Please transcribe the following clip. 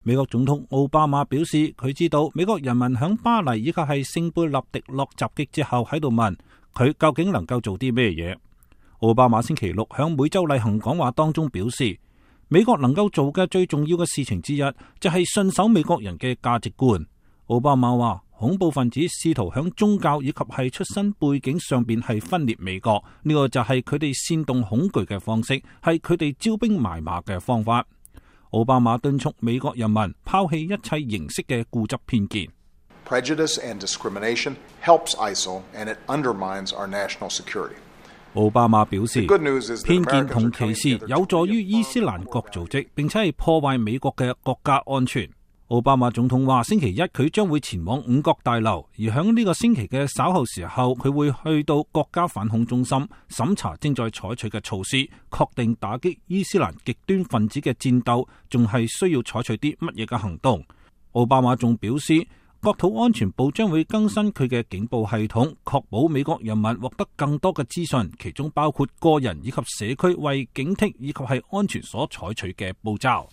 美國總統奧巴馬表示，佢知道美國人民響巴黎以及係聖貝納迪諾襲擊之後喺度問佢究竟能夠做啲咩嘢。奧巴馬星期六響每週例行講話當中表示，美國能夠做嘅最重要嘅事情之一就係信守美國人嘅價值觀。奧巴馬話，恐怖分子試圖響宗教以及係出身背景上邊係分裂美國，呢個就係佢哋煽動恐懼嘅方式，係佢哋招兵買馬嘅方法。奧巴馬敦促美國人民拋棄一切形式嘅固執偏見。Prejudice and discrimination helps ISIL and it undermines our national security. 奧巴馬表示，偏見同歧視有助於伊斯蘭國組織，並且係破壞美國嘅國家安全。奧巴馬總統話，星期一佢將會前往五角大樓，而響呢個星期嘅稍後時候，佢會去到國家反恐中心審查正在採取嘅措施，確定打擊伊斯蘭極端分子嘅戰鬥仲係需要採取啲乜嘢嘅行動。奧巴馬仲表示，國土安全部將會更新佢嘅警報系統，確保美國人民獲得更多嘅資訊，其中包括個人以及社區為警惕以及係安全所採取嘅步驟。